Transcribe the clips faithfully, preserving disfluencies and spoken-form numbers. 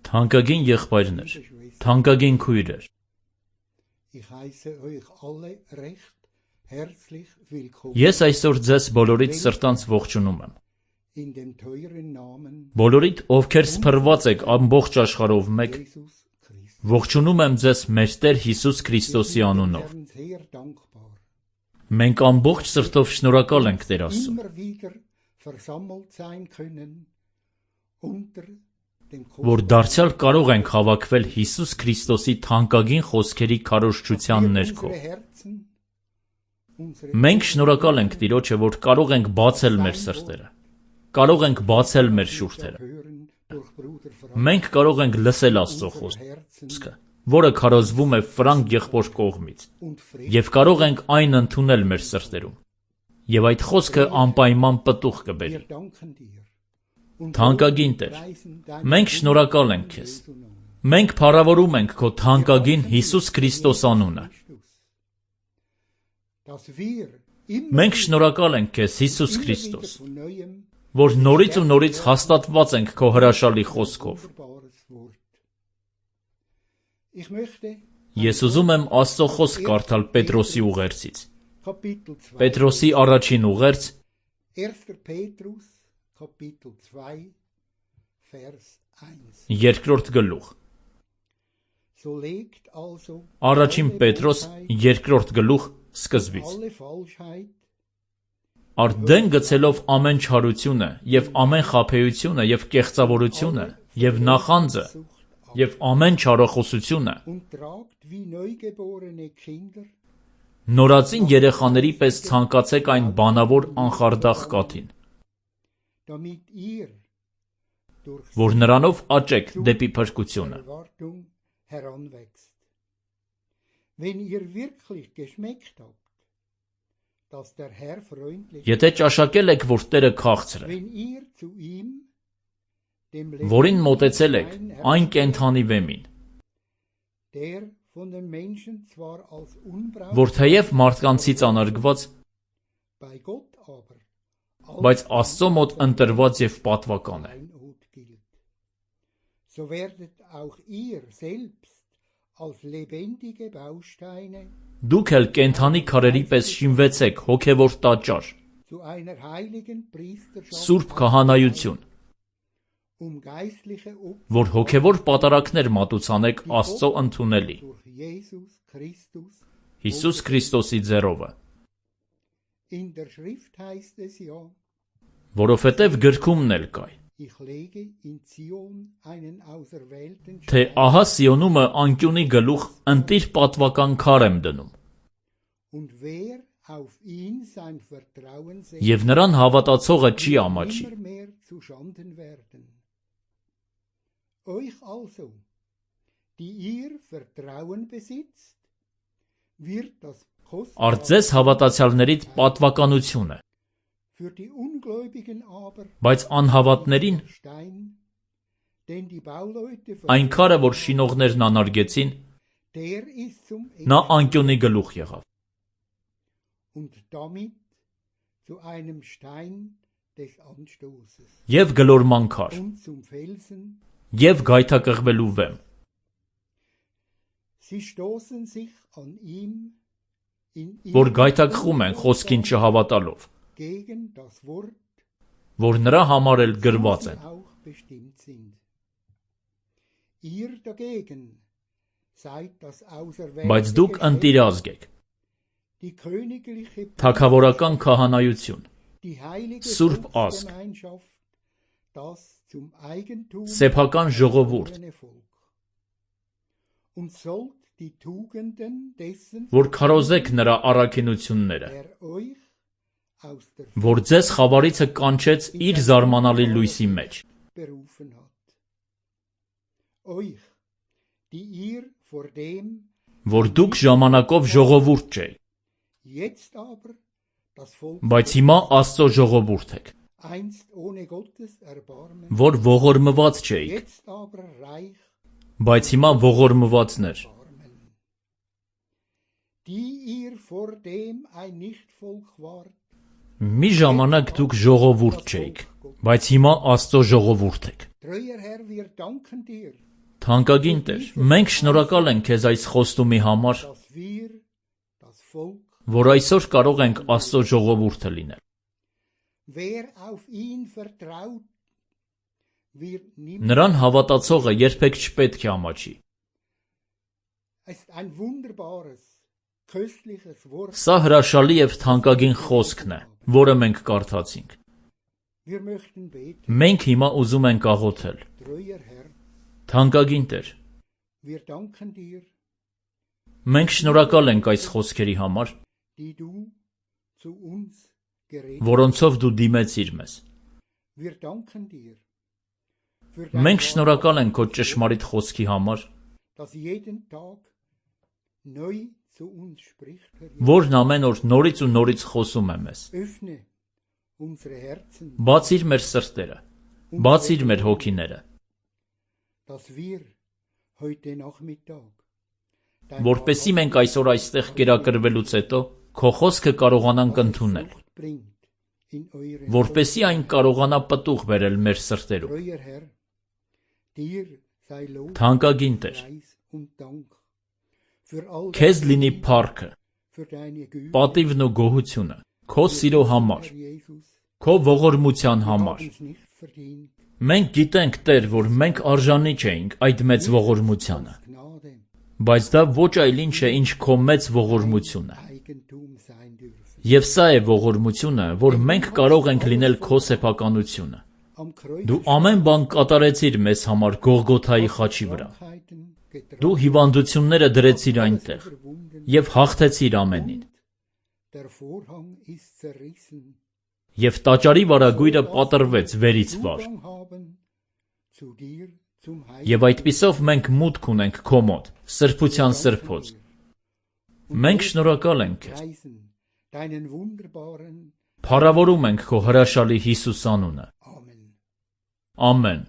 Թանկագին եղբայրներ, թանկագին քույրեր, ես այսօր ձեզ բոլորիդ սրտանց ողջունում եմ։ Բոլորիդ, ովքեր սփռված եք ամբողջ աշխարհով մեկ, ողջունում եմ ձեզ մեր Տեր Հիսուս Քրիստոսի անունով։ Մենք ամբողջ սրտով շնորհակալ ենք Տեր Աստծուն։ որ դարձյալ կարող ենք հավաքվել Հիսուս Քրիստոսի թանկագին խոսքերի քարոզչության ներքո։ Մենք շնորհակալ ենք Տիրոջը, որ կարող ենք բացել մեր սրտերը, կարող ենք բացել մեր շուրթերը։ Մենք կարող ենք լսել Աստծո խոսքը, որը քարոզվում է Ֆրանկ եղբոր կողմից, եւ կարող ենք այն ընդունել մեր սրտերում, եւ այդ խոսքը անպայման պտուղ կբերի։ Թանկագին Տեր, մենք շնորհակալ ենք Քեզ։ Մենք փառավորում ենք Քո թանկագին Հիսուս Քրիստոս անունը։ Մենք շնորհակալ ենք Քեզ, Հիսուս Քրիստոս, որ նորից ու նորից հաստատված ենք Քո հրաշալի խոսքով։ Ես ուզում եմ Աստծո խոսք կարդալ Պետրոսի ուղերձից։ Պետրոսի առաջին ուղերձ երկրորդ գլուխ։ Առաջին Պետրոս երկրորդ գլուխ սկզբից։ Արդեն գցելով ամեն չարությունը եւ ամեն խաբեությունը եւ կեղծավորությունը եւ նախանձը եւ ամեն չարախոսությունը նորածին երեխաների պես ցանկացեք այն բանավոր անխարդախ կաթին, որ նրանով աճեք դեպի փրկությունը։ Եթե ճաշակել եք, որ Տերը քաղցր է, որին մոտեցել եք, այն կենդանի վեմին, որ թեև մարդկանցից անարգված, բայց Աստծո մոտ ընտրված եւ պատվական է։ Դուք էլ կենդանի քարերի պես շինվեցեք հոգևոր տաճար, սուրբ քահանայություն, որ հոգևոր պատարակներ մատուցանեք Աստծո ընդունելի, Հիսուս Քրիստոսի ձեռովը։ Որովհետև գրքումն էլ կայ, թե ահա Սիոնումը անկյունի գլուխ ընտիր պատվական քար եմ դնում, եւ նրան հավատացողը չի ամաչի։ Արդ ձեզ հավատացյալներիդ պատվականություն է, բայց անհավատներին այն քարը, որ շինողներն անարգեցին, նա անկյունի գլուխ եղավ։ Եվ գլորման քար, եւ գայթակղվելու վեմ։ Որ գայթակղում են խոսքին չհավատալով, որ նրա համար էլ գրված են։ Բայց դուք ընտիրազգ եք, թագավորական քահանայություն, սուրբ ազգ, սեփական ժողովուրդ, որ քարոզեք նրա առաքինությունները, որ ձեզ խավարիցը կանչեց իր զարմանալի լույսի մեջ, որ դուք ժամանակով ժողովուրդ չէիք, բայց հիմա Աստծո ժողովուրդ եք, որ ողորմված չէիք, բայց հիմա ողորմվածներ, մի ժամանակ դուք ժողովուրդ չէիք, բայց հիմա Աստծո ժողովուրդ եք։ Թանկագին Տեր, մենք շնորհակալ ենք Քեզ այս խոստումի համար, որ այսօր կարող ենք Աստծո ժողովուրդը լինել։ Նրան հավատացողը երբեք չպետք է ամաչի։ Սա հրաշալի եւ թանկագին խոսքն է, որը մենք կարդացինք։ Մենք հիմա ուզում ենք աղոթել։ Թանկագին Տեր, մենք շնորհակալ ենք այս խոսքերի համար, որոնցով դու դիմեցիր մեզ։ Մենք շնորհակալ ենք քո ճշմարիտ խոսքի համար, որն ամեն օր նորից ու նորից խոսում է մեզ։ Բացիր մեր սրտերը, բացիր մեր հոգիները, որպեսզի մենք այսօր այստեղ կերակրվելուց հետո քո խոսքը կարողանանք ընդունել, որպեսզի այն կարողանա պտուղ բերել մեր սրտերում։ Թանկագին Տեր, քեզ լինի փառքը, պատիվն ու գոհությունը քո սիրո համար, քո ողորմության համար։ Մենք գիտենք, Տեր, որ մենք արժանի չէինք այդ մեծ ողորմությանը, բայց դա ոչ այլ ինչ է, ինչ քո մեծ ողորմությունը։ Եվ սա է ողորմությունը, որ մենք կարող ենք լինել քո սեփականությունը։ Դու ամեն բան կատարեցիր մեզ համար Գողգոթայի խաչի վրա։ Դու հիվանդությունները դրեցիր այնտեղ և հաղթեցիր ամենին։ Եվ տաճարի վարագույրը պատռվեց վերից վար։ Եվ այդպիսով մենք մուտք ունենք քո մոտ, սրբության սրբոց։ Մենք շնորհակալ ենք քեզ։ Փառավորում ենք քո հրաշալի Հիսուս անունը։ Ամեն։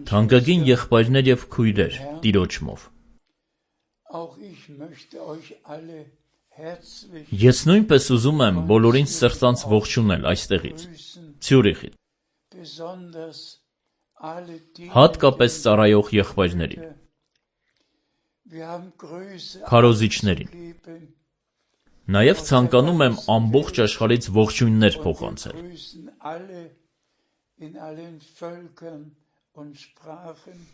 Թանկագին եղբայրներ և քույրեր Տիրոջմով, ես նույնպես ուզում եմ բոլորին սրտանց ողջունել այստեղից, Ցյուրիխից, հատկապես ծառայող եղբայրներին, քարոզիչներին։ Նաև ցանկանում եմ ամբողջ աշխարհից ողջույններ փոխանցել։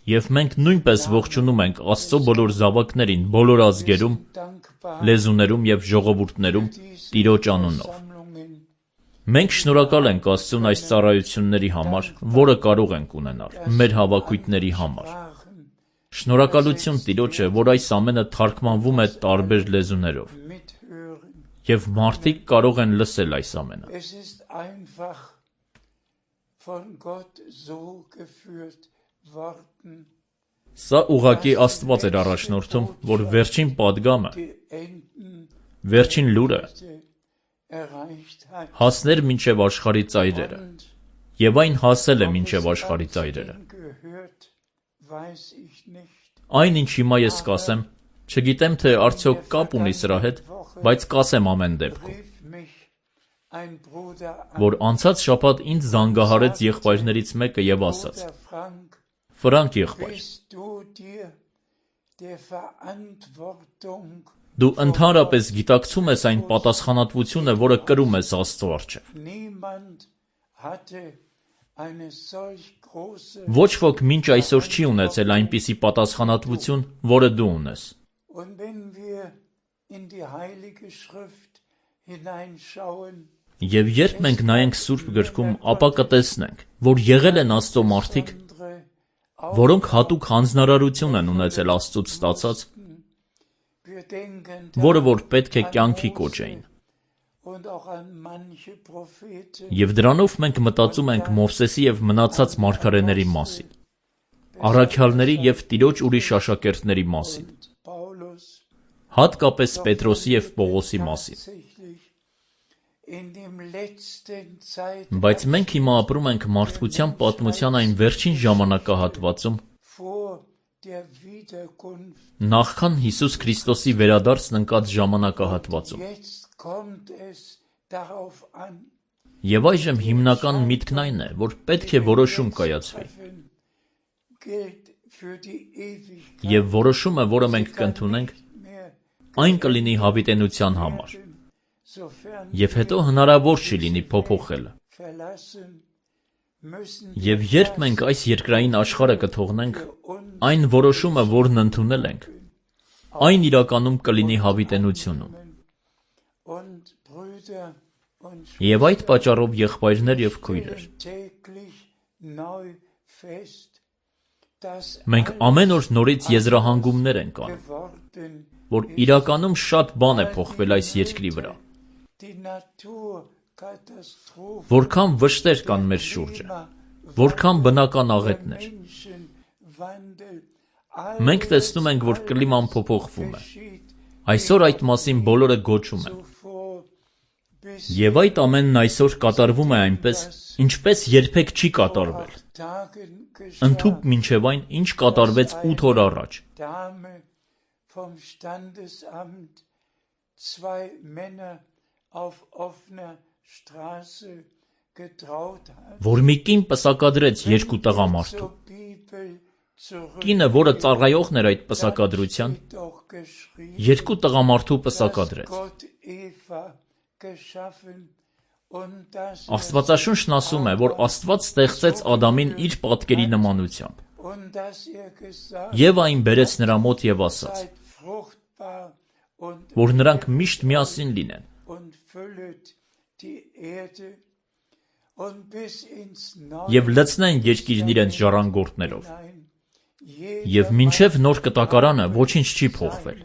Եվ մենք նույնպես ողջունում ենք Աստծո բոլոր զավակներին բոլոր ազգերում, լեզուներում և ժողովուրդներում Տիրոջ անունով։ Մենք շնորհակալ ենք Աստծուն այս ծառայությունների համար, որը կարող ենք ունենալ մեր հավաքույթների համար։ Շնորհակալություն Տիրոջը, որ այս ամենը թարգմանվում է տարբեր լեզուներով, և մարդիկ կարող են լսել այս ամենը։ Սա ուղղակի Աստված էր առաջնորդում, որ վերջին պատգամը, վերջին լուրը հասներ մինչև աշխարհի ծայրերը, և այն հասել է մինչև աշխարհի ծայրերը։ Այն, ինչ հիմա ես կասեմ, չգիտեմ, թե արդյոք կապ ունի սրա հետ, բայց կասեմ ամեն դեպքում, որ անցած շաբաթ ինձ զանգահարեց եղբայրներից մեկը և ասաց. Ֆրանկ եղբայր, դու ընդհանրապես գիտակցում ես այն պատասխանատվությունը, որը կրում ես Աստծո առջև։ Ոչ ոք մինչ այսօր չի ունեցել այնպիսի պատասխանատվություն, որը դու ունես։ Եվ երբ մենք նայենք Սուրբ գրքում, ապա կտեսնենք, որ եղել են Աստծո մարդիկ, որոնք հատուկ հանձնարարություն են ունեցել Աստծուց ստացած, որը որ պետք է կյանքի կոչեին։ Եվ դրանով մենք մտածում ենք Մովսեսի և մնացած մարգարեների մասին, առաքյալների և Տիրոջ ուրիշ աշակերտների մասին, հատկապես Պետրոսի և Պողոսի մասին։ Բայց մենք հիմա ապրում ենք մարդկության պատմության այն վերջին ժամանակահատվածում, նախքան Հիսուս Քրիստոսի վերադարձն ընկած ժամանակահատվածում։ Եվ այժմ հիմնական միտքն այն է, որ պետք է որոշում կայացվի։ Եվ որոշումը, որը մենք կընդունենք, այն կլինի հավիտենության համար։ Եվ հետո հնարավոր չի լինի փոփոխելը։ Եվ երբ մենք այս երկրային աշխարհը կթողնենք, այն որոշումը, որն ընդունել ենք, այն իրականում կլինի հավիտենությունում։ Եվ այդ պատճառով եղբայրներ և քույրեր, մենք ամեն օր նորից եզրահանգումներ ենք անում, որ իրականում շատ բան է փոխվել այս երկրի վրա, որքան վշտեր կան մեր շուրջը, որքան բնական աղետներ, մենք տեսնում ենք, որ կլիման փոփոխվում է, այսօր այդ մասին բոլորը գոչում են, և այդ ամենն այսօր կատարվում է այնպես, ինչպես երբեք չի կատարվել, ընդհուպ մինչև այն, ինչ կատարվեց ութ օր առաջ, որ մի կին պսակադրեց երկու տղամարդու, կինը, որը ծառայողն էր այդ պսակադրության, երկու տղամարդու պսակադրեց, Աստվածաշունչն ասում է, որ Աստված ստեղծեց Ադամին իր պատկերի նմանությամբ, և այն բերեց նրա մոտ և ասաց, որ նրանք միշտ միասին լինեն, և լցնեն երկիրն իրենց ժառանգորդներով, և մինչև նոր կտակարանը ոչինչ չի փոխվել,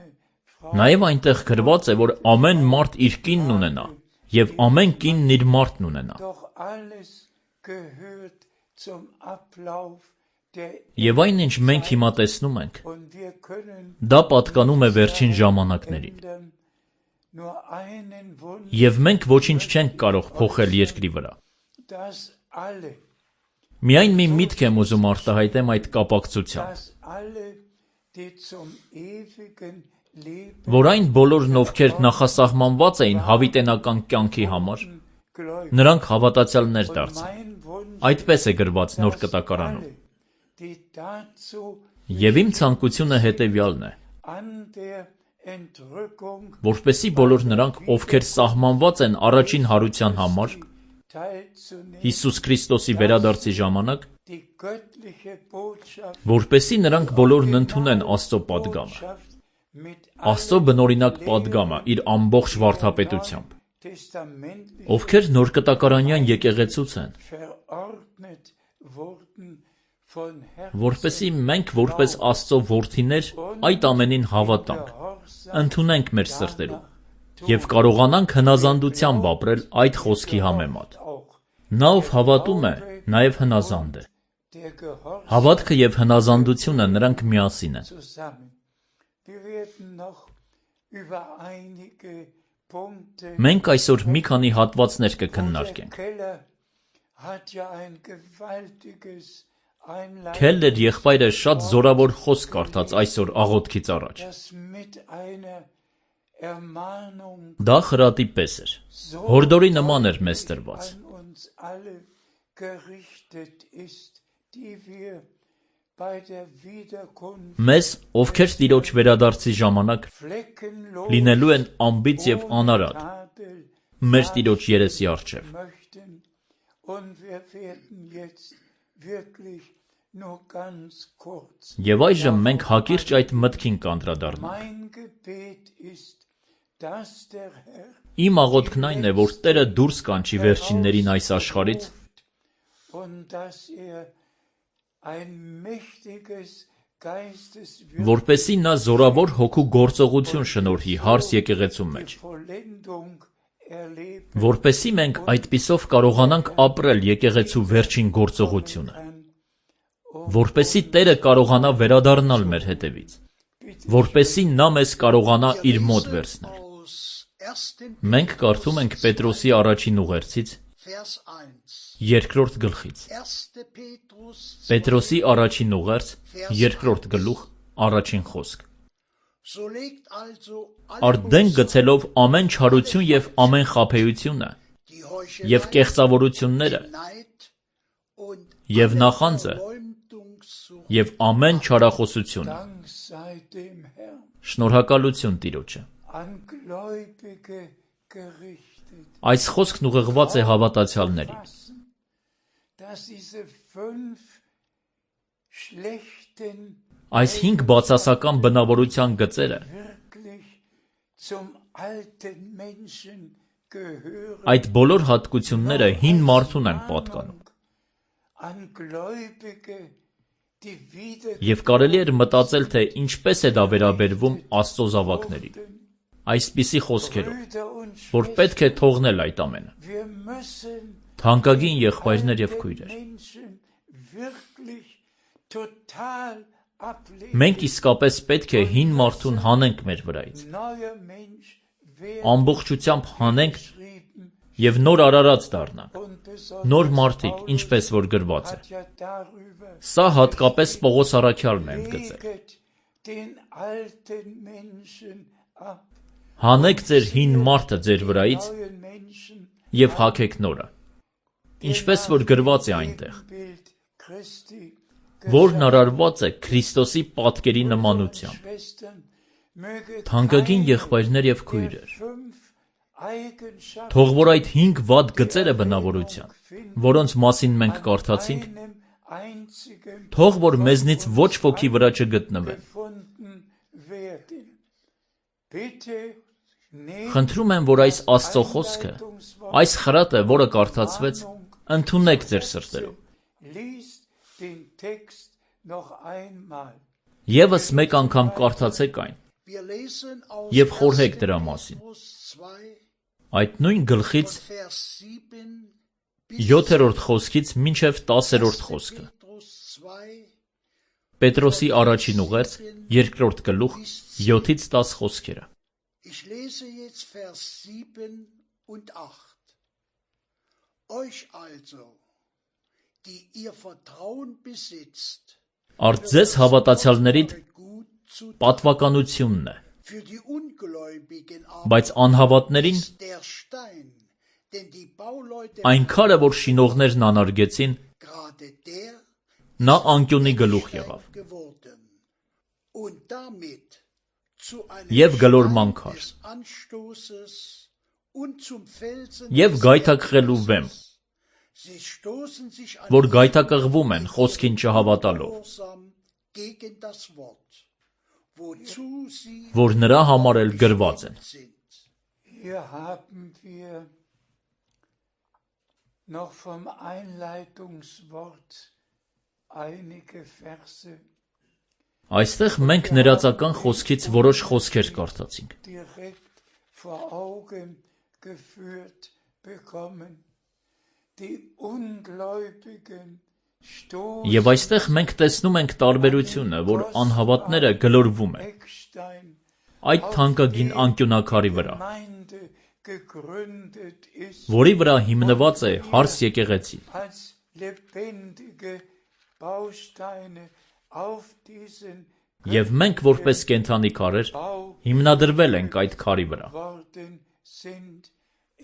նաև այնտեղ գրված է, որ ամեն մարդ իր կինն ունենա, և ամեն կինն իր մարդն ունենա, և այն, ինչ մենք հիմա տեսնում ենք, դա պատկանում է վերջին ժամանակներին, և մենք ոչինչ չենք կարող փոխել երկրի վրա, միայն մի միտք եմ ուզում արտահայտեմ այդ կապակցությամբ, որ այն բոլորն, ովքեր նախասահմանված էին հավիտենական կյանքի համար, նրանք հավատացյալներ դարձան, այդպես է գրված նոր կտակարանում, և իմ ցանկությունը հետևյալն է, որպեսզի բոլոր նրանք, ովքեր սահմանված են առաջին հարության համար, Հիսուս Քրիստոսի վերադարձի ժամանակ, որպեսզի նրանք բոլորն ընդունեն Աստծո պատգամը, Աստծո բնօրինակ պատգամը իր ամբողջ վարդապետությամբ, ովքեր նորկտակարանյան եկեղեցուց են, որպեսզի մենք որպես Աստծո որդիներ այդ ամենին հավատանք, ընդունենք մեր սրտերում և կարողանանք հնազանդությամբ ապրել այդ խոսքի համեմատ։ Նա, ով հավատում է, նաև հնազանդ է։ Հավատքը և հնազանդությունը նրանք միասին են։ Մենք այսօր մի քանի հատվածներ կքննարկենք։ Քելլեր եղբայրը շատ զորավոր խոսք կարդաց այսօր աղոթքից առաջ։ Դա խրատի պես էր, հորդորի նման էր մեզ տրված։ Մեզ, ովքեր Տիրոջ վերադարձի ժամանակ լինելու են անբիծ և անարատ, մեր Տիրոջ երեսի առջև։ Եվ այժմ մենք հակիրճ այդ մտքին կանդրադառնանք։ Իմ աղոթքն այն է, որ Տերը դուրս կանչի վերջիններին այս աշխարհից, որպեսզի նա զորավոր հոգու գործողություն շնորհի հարս եկեղեցու մեջ, որպեսզի մենք այդպիսով կարողանանք ապրել եկեղեցու վերջին գործողությունը, որպեսզի Տերը կարողանա վերադառնալ մեր հետևից, որպեսզի նա մեզ կարողանա իր մոտ վերցնել։ Մենք կարդում ենք Պետրոսի առաջին ուղերձից, երկրորդ գլխից։ Պետրոսի առաջին ուղերձ, երկրորդ գլուխ, առաջին խոսք։ Արդեն գցելով ամեն չարություն և ամեն խաբեությունը, և կեղծավորությունները, և նախանձը, և ամեն չարախոսությունը։ Շնորհակալություն Տիրոջը։ Այս խոսքն ուղղված է հավատացյալներին։ Այս հինգ բացասական բնավորության գծերը Այդ բոլոր հատկությունները հին մարդուն են պատկանում։ Եվ կարելի էր մտածել, թե ինչպես է դա վերաբերվում Աստծո զավակներին, այսպիսի խոսքերով, որ պետք է թողնել այդ ամենը։ Թանկագին եղբայրներ և քույրեր, մենք իսկապես պետք է հին մարդուն հանենք մեր վրայից, ամբողջությամբ հանենք և նոր արարած դառնանք, նոր մարդիկ, ինչպես որ գրված է։ Սա հատկապես Պողոս առաքյալն է ընդգծել։ Հանեք ձեր հին մարդը ձեր վրայից և հագեք նորը, ինչպես որ գրված է այնտեղ, որն արարված է Քրիստոսի պատկերի նմանությամբ։ Թանկագին եղբայրներ և քույրեր, թող որ այդ հինգ վատ գծերը բնավորության, որոնց մասին մենք կարդացինք, թող որ մեզնից ոչ ոքի վրա չգտնվեն։ Խնդրում եմ, որ այս Աստծո խոսքը, այս խրատը, որը կարդացվեց, ընդունեք ձեր սրտերում։ Եվս մեկ անգամ կարդացեք այն և խորհեք դրա մասին։ Այդ նույն գլխից յոթերորդ խոսքից մինչև տասերորդ խոսքը։ Պետրոսի առաջին ուղերձ, երկրորդ գլուխ, յոթից տաս խոսքերը։ Արդ ձեզ հավատացյալներիդ պատվականությունն է, բայց անհավատներին այն քարը, որ շինողներն անարգեցին, նա անկյունի գլուխ եղավ և գլորման քար և գայթակղելու վեմ, որ գայթակղվում են խոսքին չհավատալով, որ նրա համար էլ գրված են։ Այստեղ մենք ներածական խոսքից որոշ խոսքեր կարդացինք։ Եվ այստեղ մենք տեսնում ենք տարբերությունը, որ անհավատները գլորվում են այդ թանկագին անկյունակարի վրա, որի վրա հիմնված է հարս եկեղեցին։ Եվ մենք, որպես կենդանի քարեր, հիմնադրվել ենք այդ քարի վրա։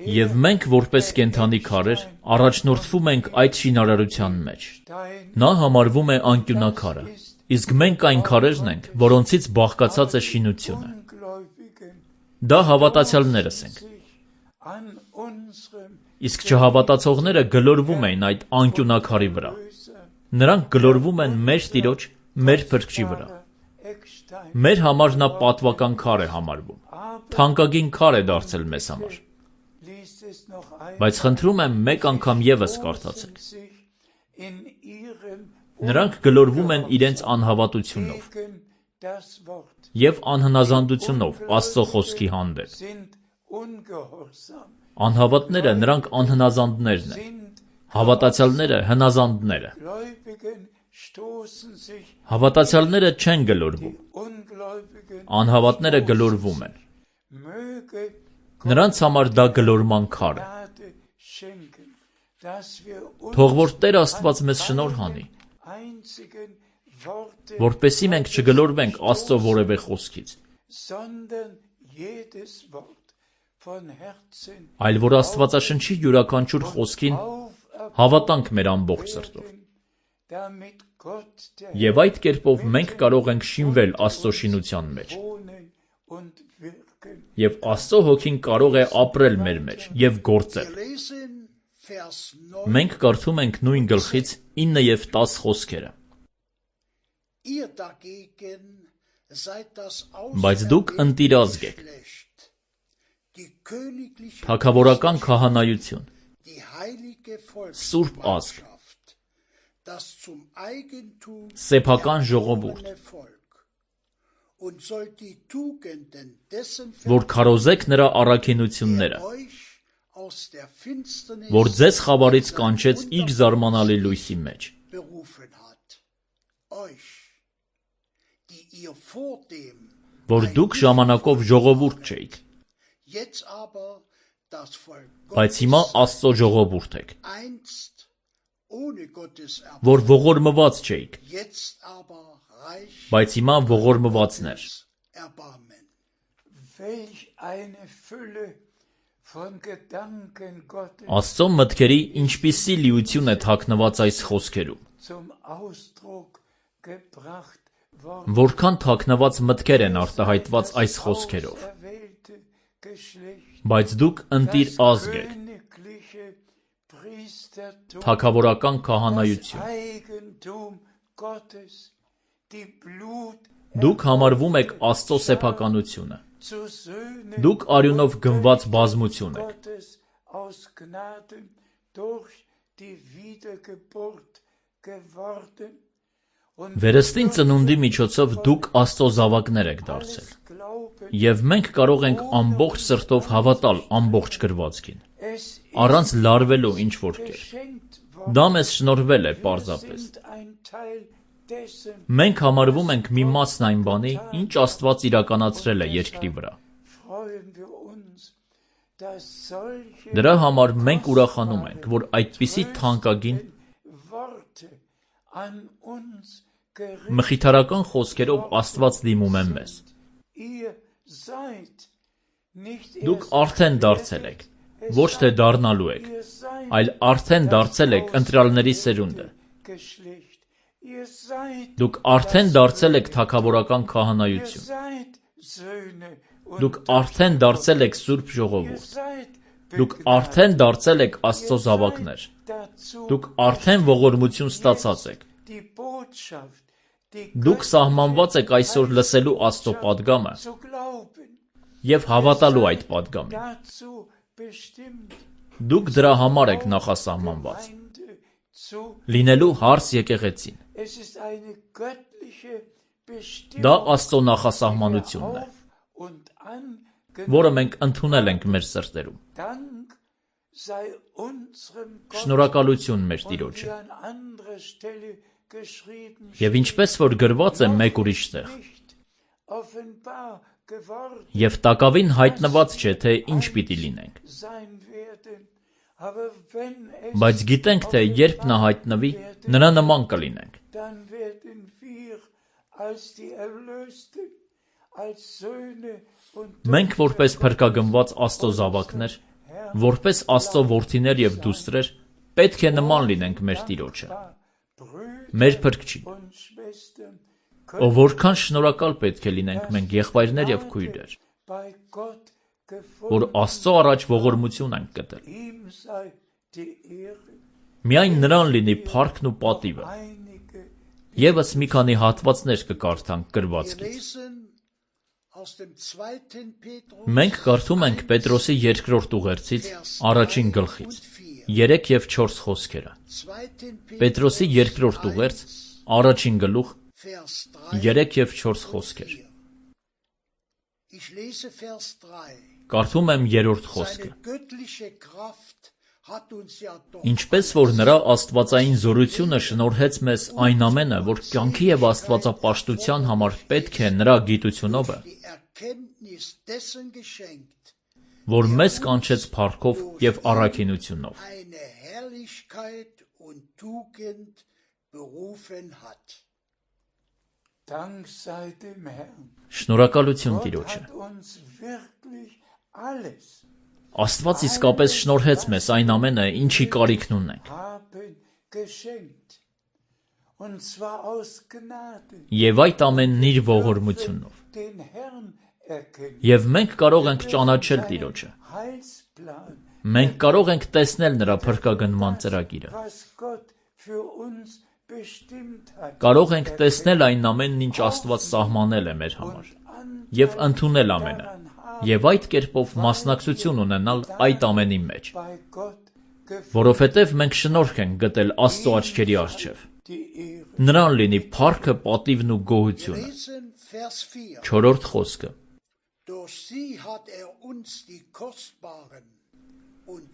Եվ մենք, որպես կենդանի քարեր, առաջնորդվում ենք այդ շինարարության մեջ։ Նա համարվում է անկյունակարը, իսկ մենք այն քարերն ենք, որոնցից բաղկացած է շինությունը։ Դա հավատացյալներս ենք։ Իսկ չհավատացողները գլորվում էին այդ անկյունակարի վրա։ Նրանք գլորվում են մեր Տիրոջ, մեր Փրկչի վրա։ Մեր համար նա պատվական քար է համարվում, թանկագին քար է դարձել մեզ համար։ Բայց խնդրում եմ մեկ անգամ ևս կարդացեք։ Նրանք գլորվում են իրենց անհավատությունով և անհնազանդությունով Աստծո խոսքի հանդեպ։ Անհավատները նրանք անհնազանդներն են, հավատացյալները հնազանդները։ Հավատացյալները չեն գլորվում, անհավատները գլորվում են։ Նրանց համար դա գլորման քար է։ Թող որ Տեր Աստված մեզ շնորհ անի, որպեսզի մենք չգլորվենք Աստծո որևէ խոսքից, այլ որ Աստվածաշնչի յուրաքանչյուր խոսքին հավատանք մեր ամբողջ սրտով։ Եվ այդ կերպով մենք կարող ենք շինվել Աստծո շինության մեջ։ Եվ Աստծո Հոգին կարող է ապրել մեր մեջ և գործել։ Մենք կարդում ենք նույն գլխից ինը և տաս խոսքերը։ Բայց դուք ընտիր ազգ եք, Թագավորական քահանայություն, Սուրբ ազգ, սեփական ժողովուրդ, որ քարոզեք նրա առաքինությունները, որ ձեզ խավարից կանչեց իր զարմանալի լույսի մեջ, որ դուք ժամանակով ժողովուրդ չէիք, բայց հիմա Աստծո ժողովուրդ եք, որ ողորմված չէիք, բայց հիմա ողորմվածներ։ Աստծո մտքերի ինչպիսի լիություն է թաքնված այս խոսքերում, որքան թաքնված մտքեր են արտահայտված այս խոսքերով, բայց դուք ընտիր ազգ եք, թագավորական քահանայություն, դուք համարվում եք Աստծո սեփականությունը, դուք արյունով գնված բազմություն եք, վերստին ծնունդի միջոցով դուք Աստծո զավակներ եք դարձել, և մենք կարող ենք ամբողջ սրտով հավատալ ամբողջ գրվածքին, առանց լարվելու ինչ-որ կերպ։ Դա մեզ շնորհվել է պարզապես։ Մենք համարվում ենք մի մասն այն բանի, ինչ Աստված իրականացրել է երկրի վրա։ Դրա համար մենք ուրախանում ենք, որ այդպիսի թանկագին մխիթարական խոսքերով Աստված դիմում է մեզ։ Դուք արդեն դարձել եք, ոչ թե դառնալու եք, այլ արդեն դարձել եք ընտրյալների սերունդը։ Դուք արդեն դարձել եք թագավորական քահանայություն։ Դուք արդեն դարձել եք Սուրբ ժողովուրդ։ Դուք արդեն դարձել եք Աստծո զավակներ։ Դուք արդեն ողորմություն ստացած եք։ Դուք սահմանված եք այսօր լսելու Աստծո պատգամը և հավատալու այդ պատգամին։ Դուք դրա համար եք նախասահմանված, լինելու հարս եկեղեցին։ Դա Աստծո նախասահմանությունն է, որը մենք ընդունել ենք մեր սրտերում։ Շնորհակալություն մեր Տիրոջը։ Եվ ինչպես որ գրված է մեկ ուրիշ տեղ, և տակավին հայտնված չէ, թե ինչ պիտի լինենք, բայց գիտենք, թե երբ նա հայտնվի, նրա նման կլինենք։ Մենք որպես փրկագնված Աստծո զավակներ, որպես Աստծո որդիներ և դուստրեր, պետք է նման լինենք մեր Տիրոջը, մեր Փրկչին, ով որքան շնորհակալ պետք է լինենք մենք եղբայրներ և քույրեր, որ Աստծո առաջ ողորմություն ենք գտել։ Միայն նրան լինի փառքն ու պատիվը։ Եվս մի քանի հատվածներ կկարդանք գրվածքից։ Մենք կարդում ենք Պետրոսի երկրորդ ուղերձից առաջին գլխից, երեք և չորս խոսքերը։ Պետրոսի երկրորդ ուղերձ, առաջին գլուխ, երեք և չորս խոսքեր։ Կարդում եմ երրորդ խոսքը։ Ինչպես որ նրա աստվածային զորությունը շնորհեց մեզ այն ամենը, որ կյանքի և աստվածապաշտության համար պետք է նրա գիտությունովը, որ մեզ կանչեց փառքով և առաքինությունով։ Շնորհակալություն Տիրոջը։ Աստված իսկապես շնորհեց մեզ այն ամենը, ինչի կարիքն ունենք։ Եվ այդ ամենն իր ողորմությունով։ Եվ մենք կարող ենք ճանաչել Տիրոջը։ Մենք կարող ենք տեսնել նրա փրկագնման ծրագիրը։ Կարող ենք տեսնել այն ամենն, ինչ Աստված սահմանել է մեր համար, և ընդունել ամենը, եւ այդ կերպով մասնակցություն ունենալ այդ ամենի մեջ, որովհետեւ մենք շնորհք ենք գտել Աստծո աչքերի առջև։ Նրան լինի փառքը, պատիվն ու գոհությունը։ Չորրորդ խոսքը.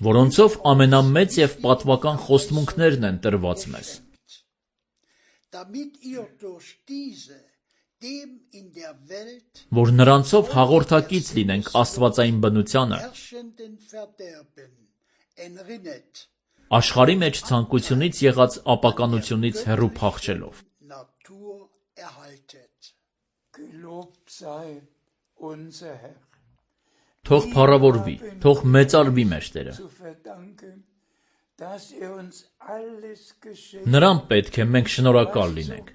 որոնցով ամենամեծ եւ պատվական խոստմունքներն են տրված մեզ, որ նրանցով հաղորդակից լինենք աստվածային բնությանը, աշխարհի մեջ ցանկությունից եղած ապականությունից հեռու փախչելով։ Թող փառավորվի, թող մեծարվի մեր Տերը։ Նրան պետք է մենք շնորհակալ լինենք,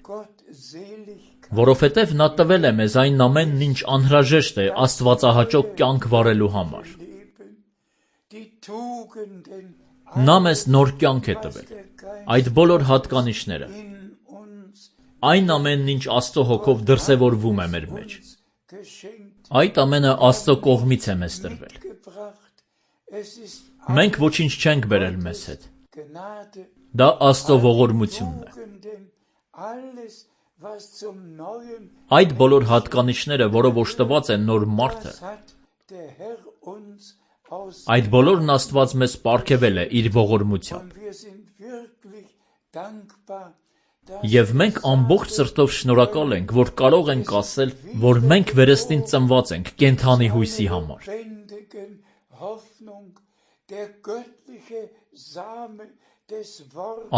որովհետև նա տվել է մեզ այն ամենն, ինչ անհրաժեշտ է աստվածահաճո կյանք վարելու համար։ Նա մեզ նոր կյանք է տվել, այդ բոլոր հատկանիշները, այն ամենն, ինչ Աստծո հոգով դրսևորվում է մեր մեջ։ Այդ ամենը Աստծո կողմից է մեզ տրվել։ Մենք ոչինչ չենք բերել մեզ հետ։ Դա Աստծո ողորմությունն է։ Այդ բոլոր հատկանիշները, որով օժտված է նոր մարդը, այդ բոլորն Աստված մեզ պարգևել է իր ողորմությամբ։ Եվ մենք ամբողջ սրտով շնորհակալ ենք, որ կարող ենք ասել, որ մենք վերստին ծնված ենք կենդանի հույսի համար։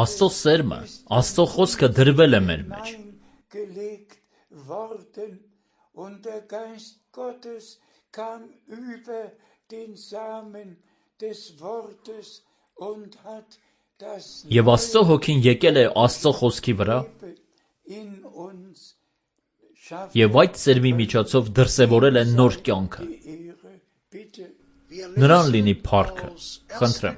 Աստծո սերմը, Աստծո խոսքը դրվել է մեր մեջ։ Եվ Աստծո հոգին եկել է Աստծո խոսքի վրա եւ այդ սերմի միջոցով դրսևորել է նոր կյանքը։ Նրան լինի փառքը, խնդրեմ։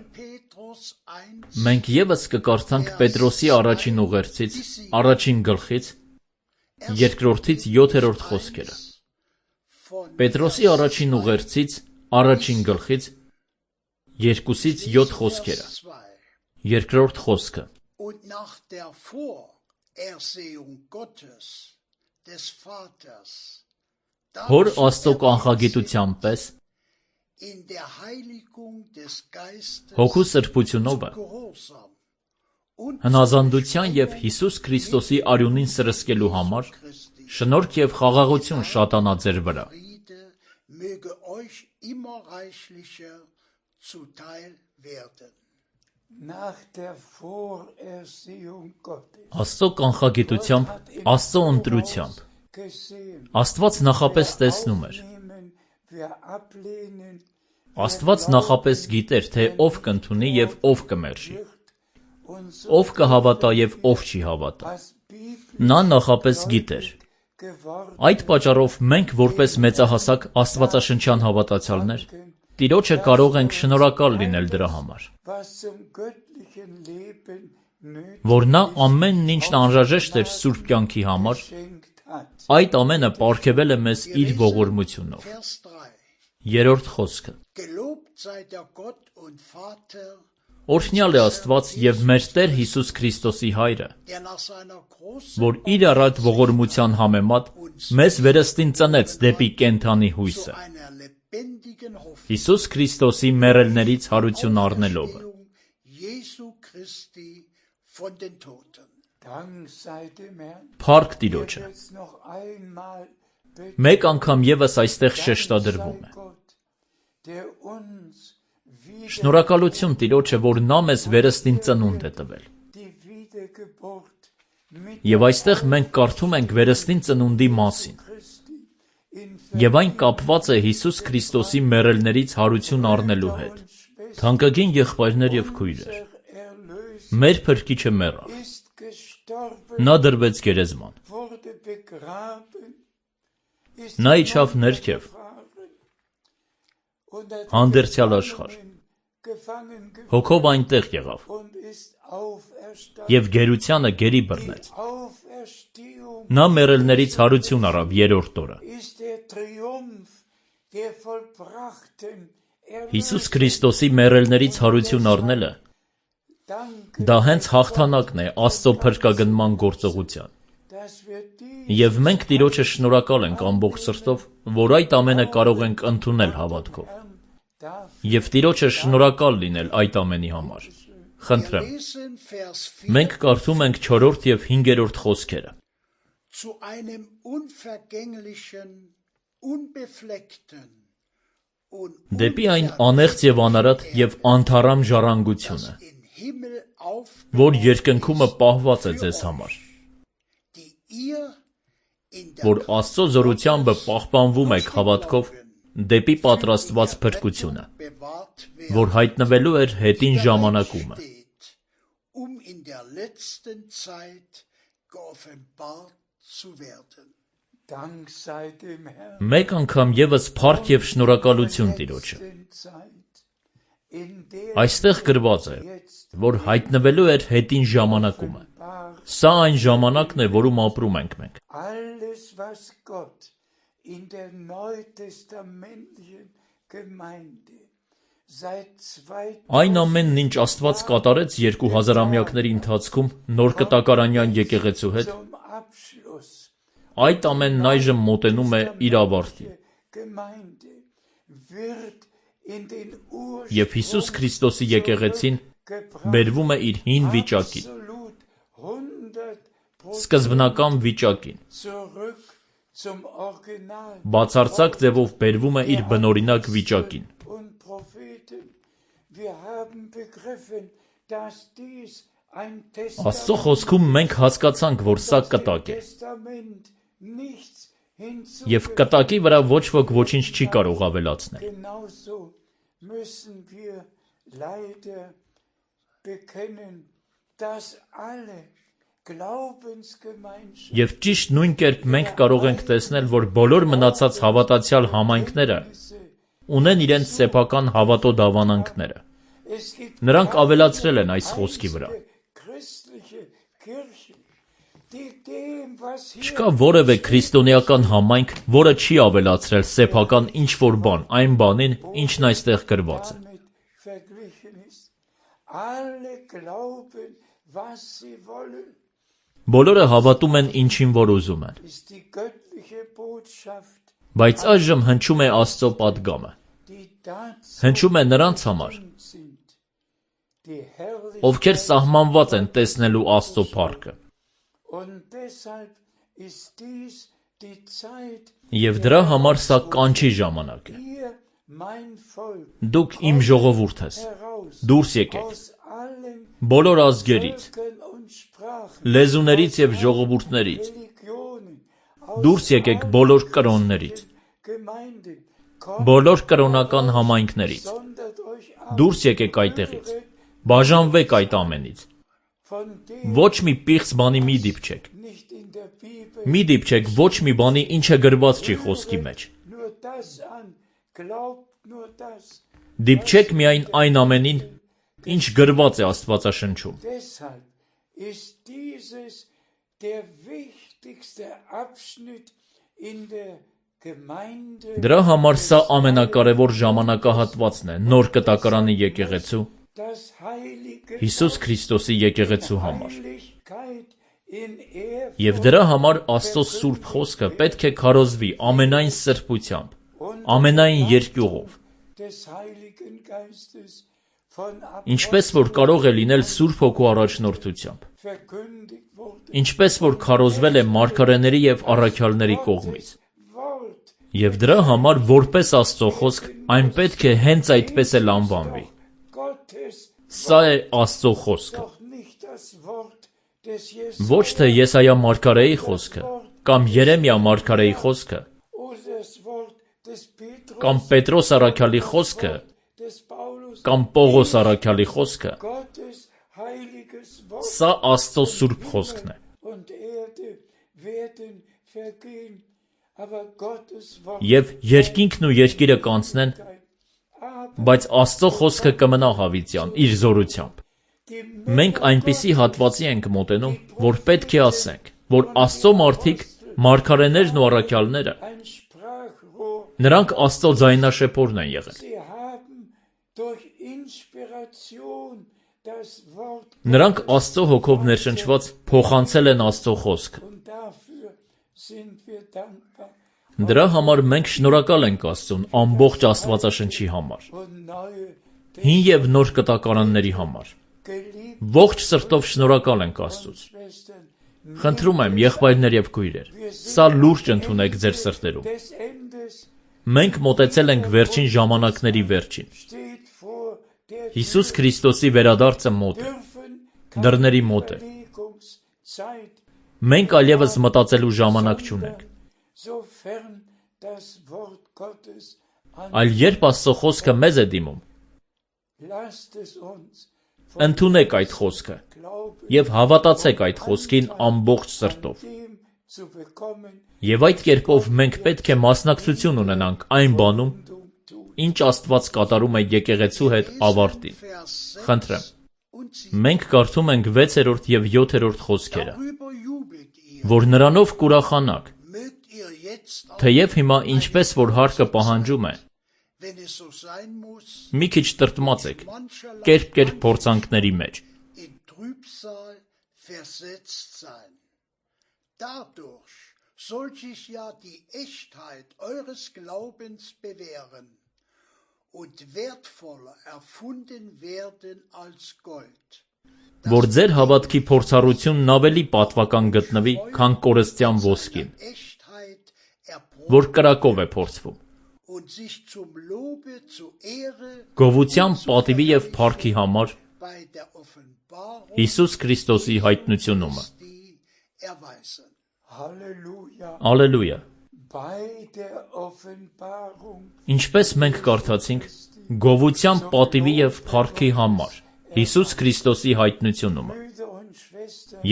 Մենք եւս կկարդանք Պետրոսի առաջին ուղերձից, առաջին գլխից, երկրորդից յոթերորդ խոսքերը։ Պետրոսի առաջին ուղերձից, առաջին գլխից, երկուսից յոթ խոսքերը։ Երկրորդ խոսքը. Հոր Աստծո կանխագիտության պես հոգու սրբությունովը հնազանդության և Հիսուս Քրիստոսի արյունին սրսկելու համար շնորհք և խաղաղություն շատանա ձեր վրա։ Աստծո կանխագիտությամբ, Աստծո ընտրությամբ Աստված նախապես տեսնում էր։ Աստված նախապես գիտեր, թե ով կընդունի և ով կմերժի, ով կհավատա և ով չի հավատա։ Նա նախապես գիտեր։ Այդ պատճառով մենք, որպես մեծահասակ աստվածաշնչյան հավատացյալներ, Տիրոջը կարող ենք շնորհակալ լինել դրա համար, որ նա ամենն ինչն անհրաժեշտ էր սուրբ կյանքի համար, այդ ամենը պարգևել է մեզ իր ողորմությունով։ Երրորդ խոսքը. Օրհնյալ է Աստված և մեր Տեր Հիսուս Քրիստոսի Հայրը, որ իր առատ ողորմության համեմատ մեզ վերստին ծնեց դեպի կենդանի հույսը, Հիսուս Քրիստոսի մեռելներից հարություն առնելով։ Փառք Տիրոջը։ Մեկ անգամ ևս այստեղ շեշտադրվում է։ Շնորհակալություն Տիրոջը, որ նա մեզ վերստին ծնունդ է տվել։ Եվ այստեղ մենք կարդում ենք վերստին ծնունդի մասին։ Եվ այն կապված է Հիսուս Քրիստոսի մեռելներից հարություն առնելու հետ։ Թանկագին եղբայրներ և քույրեր, մեր Փրկիչը մեռավ։ Նա դրվեց գերեզման։ Նա իջավ ներքև, հանդերձյալ աշխարհ, հոգով այնտեղ եղավ, և գերությանը գերի բռնեց։ Նա մեռելներից հարություն առավ երրորդ օրը։ Հիսուս Քրիստոսի մեռելներից հարություն առնելը դա հենց հաղթանակն է Աստծո փրկագնման գործողության։ Եվ մենք Տիրոջը շնորհակալ ենք ամբողջ սրտով, որ այդ ամենը կարող ենք ընդունել հավատքով։ Եվ Տիրոջը շնորհակալ լինել այդ ամենի համար։ Խնդրեմ, մենք կարդում ենք չորրորդ և հինգերորդ խոսքերը։ Դեպի այն անեղծ և անարատ և անթառամ ժառանգությունը, որ երկնքումը պահված է ձեզ համար, որ Աստծո զորությամբ պահպանվում եք հավատքով դեպի պատրաստված փրկությունը, որ հայտնվելու էր հետին ժամանակումը։ Մեկ անգամ ևս փառք և շնորհակալություն Տիրոջը։ Այստեղ գրված է, որ հայտնվելու էր հետին ժամանակումը։ Սա այն ժամանակն է, որում ապրում ենք մենք։ Այն ամենն, ինչ Աստված կատարեց երկու հազարամյակների ընթացքում նոր կտակարանյան եկեղեցու հետ, այդ ամենն այժմ մոտենում է իր ավարտին։ Եվ Հիսուս Քրիստոսի եկեղեցին բերվում է իր հին վիճակին, սկզբնական վիճակին, բացարձակ ձևով բերվում է իր բնօրինակ վիճակին։ Աստծո խոսքում մենք հասկացանք, որ սա կտակ է։ Եվ կտակի վրա ոչ ոք ոչինչ չի կարող ավելացնել։ Եվ ճիշտ նույն կերպ մենք կարող ենք տեսնել, որ բոլոր մնացած հավատացյալ համայնքները ունեն իրենց սեփական հավատո դավանանքները։ Նրանք ավելացրել են այս խոսքի վրա։ Չկա որևէ քրիստոնեական համայնք, որը չի ավելացրել սեփական ինչ-որ բան այն բանին, ինչն այստեղ գրված է։ Բոլորը հավատում են ինչին, որ ուզում են։ Բայց այժմ հնչում է Աստծո պատգամը։ Հնչում է նրանց համար, ովքեր սահմանված են տեսնելու Աստծո փառքը։ Եվ դրա համար սա կանչի ժամանակ է։ Դուք իմ ժողովուրդ ես, դուրս եկեք, բոլոր ազգերից, լեզուներից և ժողովուրդներից, դուրս եկեք բոլոր կրոններից, բոլոր կրոնական համայնքներից, դուրս եկեք այդտեղից, բաժանվեք այդ ամենից, ոչ մի պիղծ բանի մի դիպչեք, մի դիպչեք ոչ մի բանի, ինչը գրված չի խոսքի մեջ, դիպչեք միայն այն ամենին, ինչ գրված է Աստվածաշնչում։ Դրա համար սա ամենակարևոր ժամանակահատվածն է նոր կտակարանի եկեղեցու, Հիսուս Քրիստոսի եկեղեցու համար։ Եվ դրա համար Աստծո սուրբ խոսքը պետք է քարոզվի ամենայն սրբությամբ, ամենայն երկյուղով։ Ինչպես որ կարող է լինել Սուրբ Հոգու առաջնորդությամբ, ինչպես որ քարոզվել է մարգարեների և առաքյալների կողմից։ Եվ դրա համար որպես Աստծո խոսք այն պետք է հենց այդպես էլ անվանվի։ Սա է Աստծո խոսքը։ Ոչ թե Եսայիա մարգարեի խոսքը, կամ Երեմիա մարգարեի խոսքը, կամ Պետրոս առաքյալի խոսքը, կամ Պողոս առաքյալի խոսքը, սա Աստծո սուրբ խոսքն է։ Եվ երկինքն ու երկիրը կանցնեն, բայց Աստծո խոսքը կմնա հավիտյան, իր զորությամբ։ Մենք այնպիսի հատվածի ենք մոտենում, որ պետք է ասենք, որ Աստծո մարդիկ, մարգարեներն ու առաքյալները Նրանք Աստծո ձայնաշեփորն են եղել։ Նրանք Աստծո հոգով ներշնչված փոխանցել են Աստծո խոսքը։ Դրա համար մենք շնորհակալ ենք Աստծուն ամբողջ Աստվածաշնչի համար, հին և նոր կտակարանների համար։ Ողջ սրտով շնորհակալ ենք Աստծուց։ Խնդրում եմ, եղբայրներ և քույրեր, սա լուրջ ընդունեք ձեր սրտերում։ Մենք մոտեցել ենք վերջին ժամանակների վերջին։ Հիսուս Քրիստոսի վերադարձը մոտ է, դռների մոտ է։ Մենք այլևս մտածելու ժամանակ չունենք։ Այլ երբ Աստծո խոսքը մեզ է դիմում, ընդունեք այդ խոսքը և հավատացեք այդ խոսքին ամբողջ սրտով։ Եվ այդ կերպով մենք պետք է մասնակցություն ունենանք այն բանում, ինչ Աստված կատարում է եկեղեցու հետ ավարտին։ Խնդրեմ, մենք կարդում ենք վեցերորդ և յոթերորդ խոսքերը, որ նրանով կուրախանաք, թեև հիմա ինչպես որ հարկը պահանջում է, մի քիչ տրտմած եք, կերպ-կերպ փորձանքների մեջ։ Որ ձեր հավատքի փորձառությունն ավելի պատվական գտնվի, քան կորստյան ոսկին, որ կրակով է փորձվում։ Գովության, պատիվի և փառքի համար Հիսուս Քրիստոսի հայտնությունումը։ Ալելույա։ Ինչպես մենք կարդացինք, գովության, պատիվի և փառքի համար Հիսուս Քրիստոսի հայտնությունումը։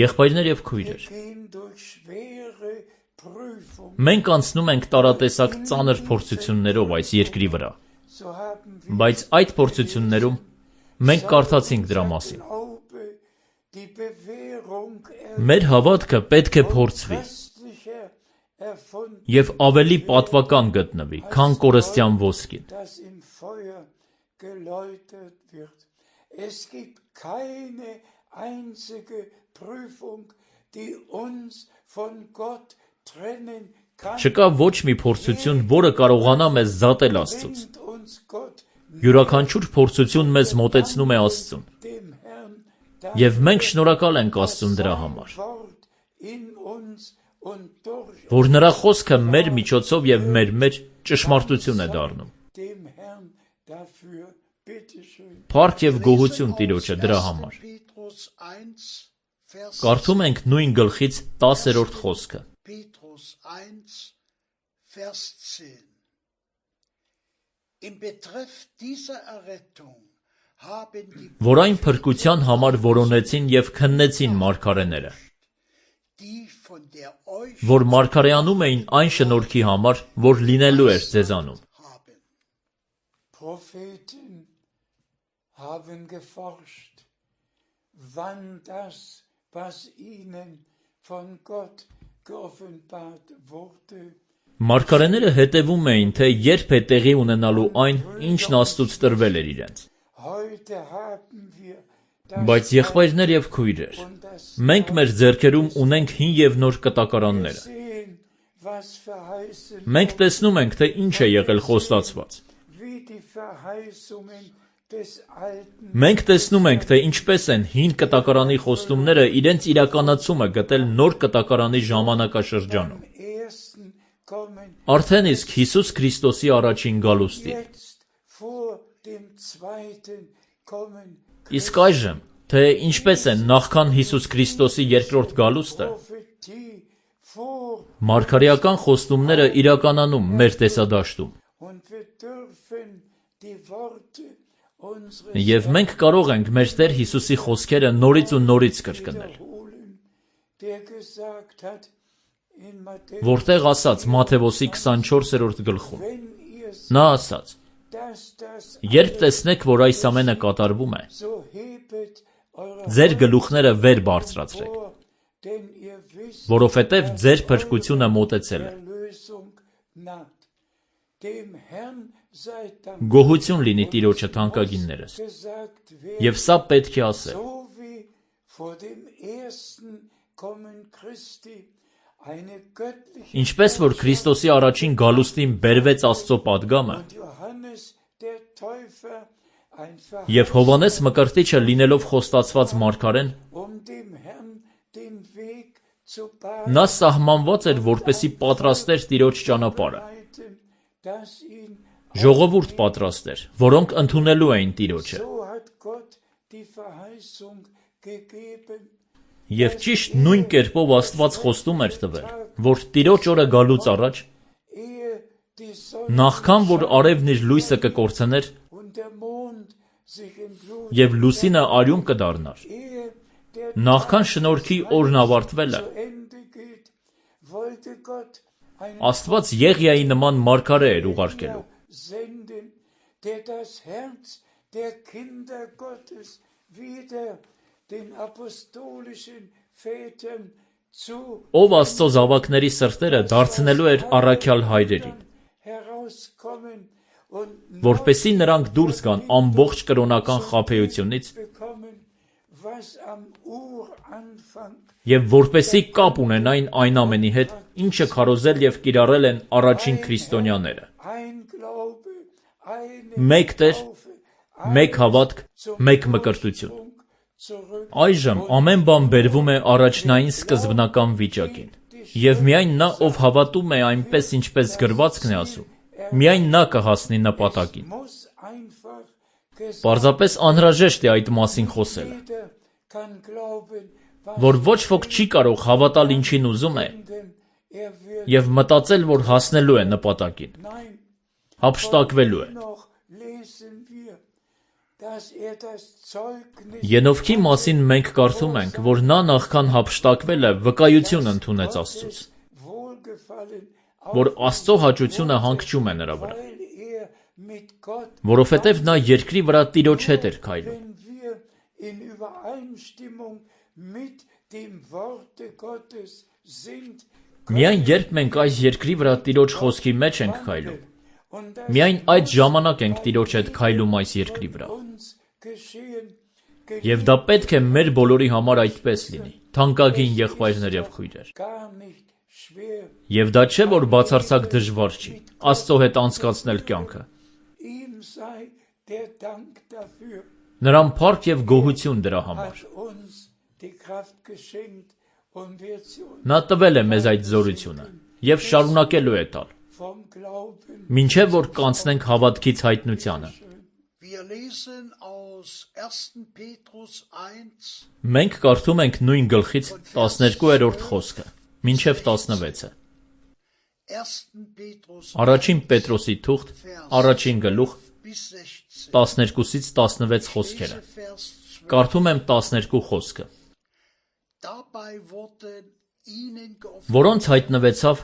Եղբայրներ և քույրեր, մենք անցնում ենք տարատեսակ ծանր փորձություններով այս երկրի վրա, բայց այդ փորձություններում մենք կարդացինք դրա մասին։ Մեր հավատքը պետք է փորձվի և ավելի պատվական գտնվի, քան կորստյան ոսկին։ Չկա ոչ մի փորձություն, որը կարողանա մեզ զատել Աստծուց։ Յուրաքանչյուր փորձություն մեզ մոտեցնում է Աստծուն։ Եվ մենք շնորհակալ ենք Աստծուն դրա համար, որ նրա խոսքը մեր միջոցով և մեր մեջ ճշմարտություն է դառնում։ Փառք և գոհություն Տիրոջը դրա համար։ Կարդում ենք նույն գլխից տասերորդ խոսքը։ Որ այն փրկության համար որոնեցին և քննեցին մարգարեները, որ մարգարեանում էին այն շնորհքի համար, որ լինելու էր ձեզանում։ Մարգարեները հետևում էին, թե երբ է տեղի ունենալու այն, ինչն Աստծուց տրվել էր իրենց։ Բայց եղբայրներ և քույրեր, մենք մեր ձեռքերում ունենք հին և նոր կտակարանները։ Մենք տեսնում ենք, թե ինչ է եղել խոստացված։ Մենք տեսնում ենք, թե ինչպես են հին կտակարանի խոստումները իրենց իրականացումը գտել նոր կտակարանի ժամանակաշրջանում։ Արդեն իսկ Հիսուս Քրիստոսի առաջին գալուստին։ Իսկ այժմ, թե ինչպես է նախքան Հիսուս Քրիստոսի երկրորդ գալուստը, մարգարեական խոստումները իրականանում մեր տեսադաշտում։ Եվ մենք կարող ենք մեր Տեր Հիսուսի խոսքերը նորից ու նորից կրկնել, որտեղ ասաց Մատթեոսի քսանչորսերորդ գլխում։ Նա ասաց. «Երբ տեսնեք, որ այս ամենը կատարվում է, ձեր գլուխները վեր բարձրացրեք, որովհետև ձեր փրկությունը մոտեցել է»։ Գոհություն լինի Տիրոջը թանկագիններս, և սա պետք է ասել. Ինչպես որ Քրիստոսի առաջին գալուստին բերվեց Աստծո պատգամը, և Հովհաննես Մկրտիչը լինելով խոստացված մարգարեն, նա սահմանված էր, որպեսզի պատրաստեր Տիրոջ ճանապարհը, ժողովուրդ պատրաստեր, որոնք ընդունելու էին Տիրոջը։ Եվ ճիշտ նույն կերպով Աստված խոստում էր տվել, որ Տիրոջ օրը գալուց առաջ, նախքան որ արևն իր լույսը կկորցներ, և լուսինը արյուն կդառնար, նախքան շնորհքի օրն ավարտվելը, Աստված Եղիայի նման մարգարե էր ուղարկելու, ով Աստծո զավակների սրտերը դարձնելու էր առաքյալ հայրերին, որպեսզի նրանք դուրս գան ամբողջ կրոնական խաբեությունից և որպեսզի կապ ունենային այն ամենի հետ, ինչը քարոզել և կիրառել են առաջին քրիստոնյաները։ Մեկ Տեր, մեկ հավատք, մեկ մկրտություն։ Այժմ ամեն բան բերվում է առաջնային սկզբնական վիճակին, և միայն նա, ով հավատում է այնպես, ինչպես գրվածքն է ասում, միայն նա կհասնի նպատակին։ Պարզապես անհրաժեշտ է այդ մասին խոսելը, որ ոչ ոք չի կարող հավատալ ինչին ուզում է և մտածել, որ հասնելու է նպատակին, հափշտակվելու է։ Ենովքի մասին մենք կարդում ենք, որ նա նախքան հափշտակվելը վկայություն ընդունեց Աստծուց, որ Աստծո հաճությունը հանգչում է նրա վրա, որովհետև նա երկրի վրա Տիրոջ հետ էր քայլում։ Միայն երբ մենք այս երկրի վրա Տիրոջ խոսքի մեջ ենք քայլում, միայն այդ ժամանակ ենք Տիրոջ հետ քայլում այս երկրի վրա։ Եվ դա պետք է մեր բոլորի համար այդպես լինի, թանկագին եղբայրներ և քույրեր։ Եվ դա չէ, որ բացարձակ դժվար չի, Աստծո հետ անցկացնել կյանքը։ Նրան փառք և գոհություն դրա համար։ Նա տվել է մեզ այդ զորությունը և շարունակելու է տալ, մինչև որ կանցնենք հավատքից հայտնությանը։ Մենք կարդում ենք նույն գլխից տասներկուերորդ խոսքը, մինչև տասնվեցը։ Առաջին Պետրոսի թուղթ, առաջին գլուխ, տասներկուսից տասնվեց խոսքերը։ Կարդում եմ տասներկու խոսքը։ Որոնց հայտնվեցավ,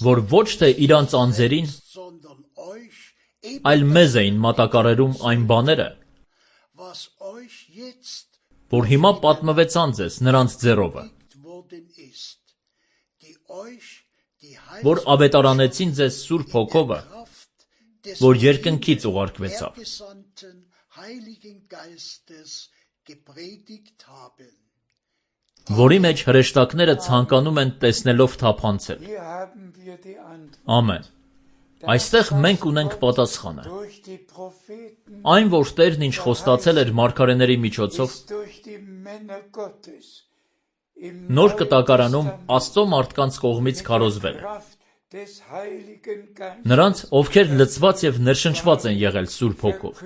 որ ոչ թե իրանց անձերին, այլ մեզ էին մատակարարում այն բաները, որ հիմա պատմվեցան ձեզ նրանց ձեռովը, որ ավետարանեցին ձեզ Սուրբ Հոգովը, որ երկնքից ուղարկվեցավ, որի մեջ հրեշտակները ցանկանում են տեսնելով թափանցել։ Ամեն։ Այստեղ մենք ունենք պատասխանը։ Այն, որ Տերն ինչ խոստացել էր մարգարեների միջոցով, Նոր Կտակարանում Աստծո մարդկանց կողմից քարոզվել է։ Նրանց, ովքեր լցված և ներշնչված են եղել Սուրբ Հոգով։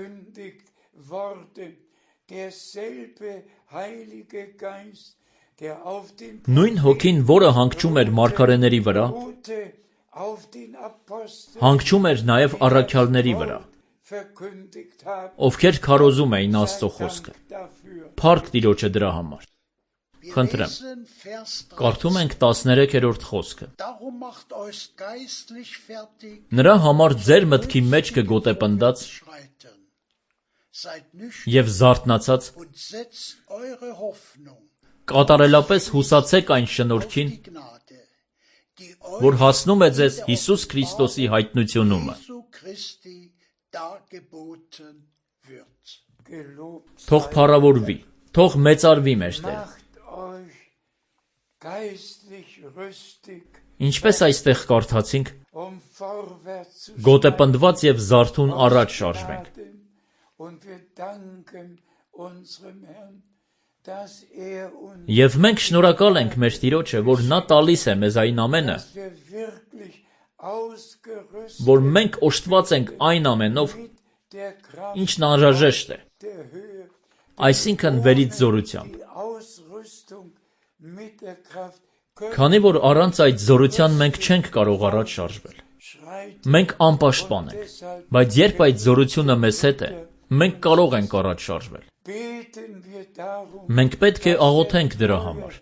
Նույն Հոգին, որը հանգչում էր մարգարեների վրա, հանգչում էր նաև առաքյալների վրա, ովքեր քարոզում էին Աստծո խոսքը։ Փառք Տիրոջը դրա համար։ Խնդրեմ, կարդում ենք տասներեքերորդ խոսքը։ Նրա համար ձեր մտքի մեջ կգոտեպնդած և զարթնացած, կատարելապես հուսացեք այն շնորհքին, որ հասնում է ձեզ Հիսուս Քրիստոսի հայտնությունումը։ Թող փառավորվի, թող մեծարվի մեր Տերը։ Ինչպես այստեղ կարդացինք, գոտեպնդված և զարթուն առաջ շարժվենք։ Եվ մենք շնորհակալ ենք մեր Տիրոջը, որ նա տալիս է մեզ այն ամենը, որ մենք օժտված ենք այն ամենով, ինչն անհրաժեշտ է, այսինքն վերից զորությամբ։ Քանի որ առանց այդ զորության մենք չենք կարող առաջ շարժվել։ Մենք անպաշտպան ենք, բայց երբ այդ զորությունը մեզ հետ է, մենք կարող ենք առաջ շարժվել։ Մենք պետք է աղոթենք դրա համար,